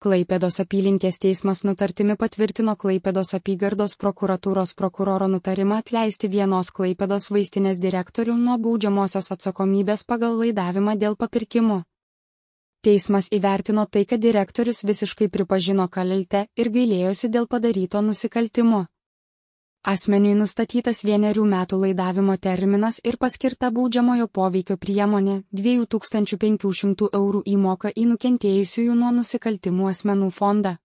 Klaipėdos apylinkės teismas nutartimi patvirtino Klaipėdos apygardos prokuratūros prokuroro nutarimą atleisti vienos Klaipėdos vaistinės direktorių nuo baudžiamosios atsakomybės pagal laidavimą dėl papirkimo. Teismas įvertino tai, kad direktorius visiškai pripažino kaltę ir gailėjosi dėl padaryto nusikaltimo. Asmeniui nustatytas 1 metų laidavimo terminas ir paskirta baudžiamojo poveikio priemonė 2500 € įmoka į nukentėjusiųjų nuo nusikaltimų asmenų fondą.